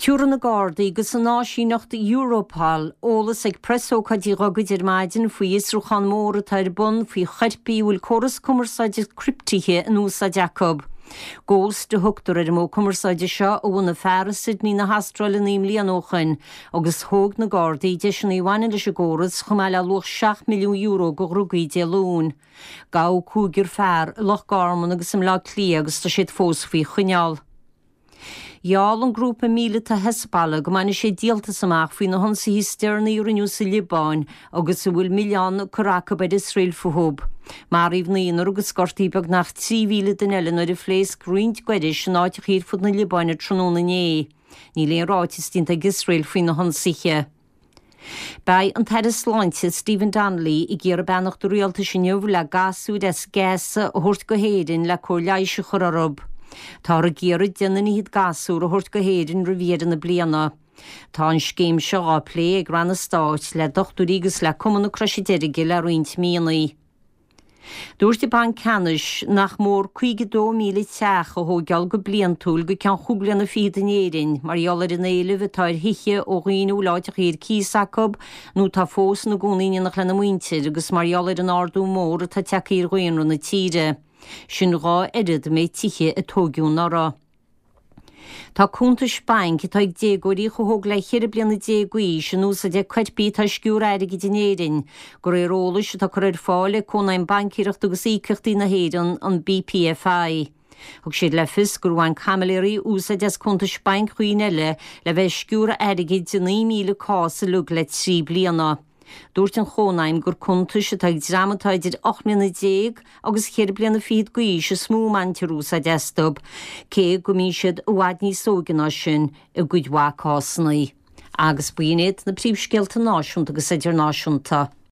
Tabharfaidh na Gardaí agus an áisíneacht Europol eolas ag preasócáid ghogaid ar maidin faoi fhiosrúchán mór atá ar bun faoi choirpigh a bhfuil córas cumarsáide criptithe in úsáid acu. Ghost a thugtar ar an modh cumarsáide seo a bhunaigh fear i Sydney na hAstráile 9 mbliana ó shoin agus thóg na Gardaí deiseanna a bhaineann leis an gcóras chomh maith le luach €7 milliún de dhrugaí Dé Luain. Gabhadh cúigear fear i Loch Garman agus i mBleá Cliath agus tá siad fós faoi choinneáil. Gheall an grúpa míleata Hezbollah go mbainfidh sé díoltas amach faoi na hionsaithe is deireanaí a rinneadh sa Liobáin agus a bhfuil milleán curtha acu ar Iosrael fúthu. Maraíodh naonúr agus gortaíodh beagnach 3,000 duine eile nuair a phléasc roinnt gairis in áiteacha ar fud na Liobáine tráthnóna inné. Níl aon ráiteas déanta ag Iosrael faoi na hionsaithe. Beidh an tAire Sláinte Stephen Donnelly ag iarraidh beannacht an Rialtais inniu le gasúir as Gaza a thabhairt go hÉirinn le cóir leighis a chur orthu. Táthar ag iarraidh deich nduine fhichead gasúr a thabhairt go hÉirinn roimh dheireadh na bliana. Tá an scéim seo á plé ag ranna stáit, le dochtúirí agus le Cumann na Croise Deirge le roinnt míonna. Dúirt an Banc Ceannais nach mór 52,000 teach a thóigeáil go bliantúil go ceann chúig bliana fichead in Éirinn mar gheall ar an éileamh atá ar thithe ó dhaoine a bhfuil áiteachaí ar cíos acu nó atá fós ina gcónaí in éineacht lena muintir agus mar gheall ar an ardú mór atá tagtha ar dhaonra na tíre. Sin dhá oiread an méid tithe a tóigeadh anuraidh. Tá cuntais bainc atá ag déagóirí chomh hóg le 14 bliana d'aois in úsáid ag coirpigh atá ag sciúradh airgid in Éirinn, de réir eolais atá curtha ar fáil ag Cónaidhm Baincéireachta agus Íocaíochtaí na hÉireann, an BPFI. Thug siad le fios gur bhain caimiléirí úsáid as cuntais bainc dhaoine eile le bheith ag sciúradh airgid i 9,000 cás uilig le 3 bliana. Dúirt an Chónaidhm gur cuntais atá ag dream atá idir 18 mbliana agus cheithre bliana fichead d'aois is mó a mbaintear úsáid astu, cé go mbíonn siad i bhfad níos óige ná sin i gcuid mhaith cásanna. Agus b'in iad na príomhscéalta náisiúnta agus idirnáisiúnta.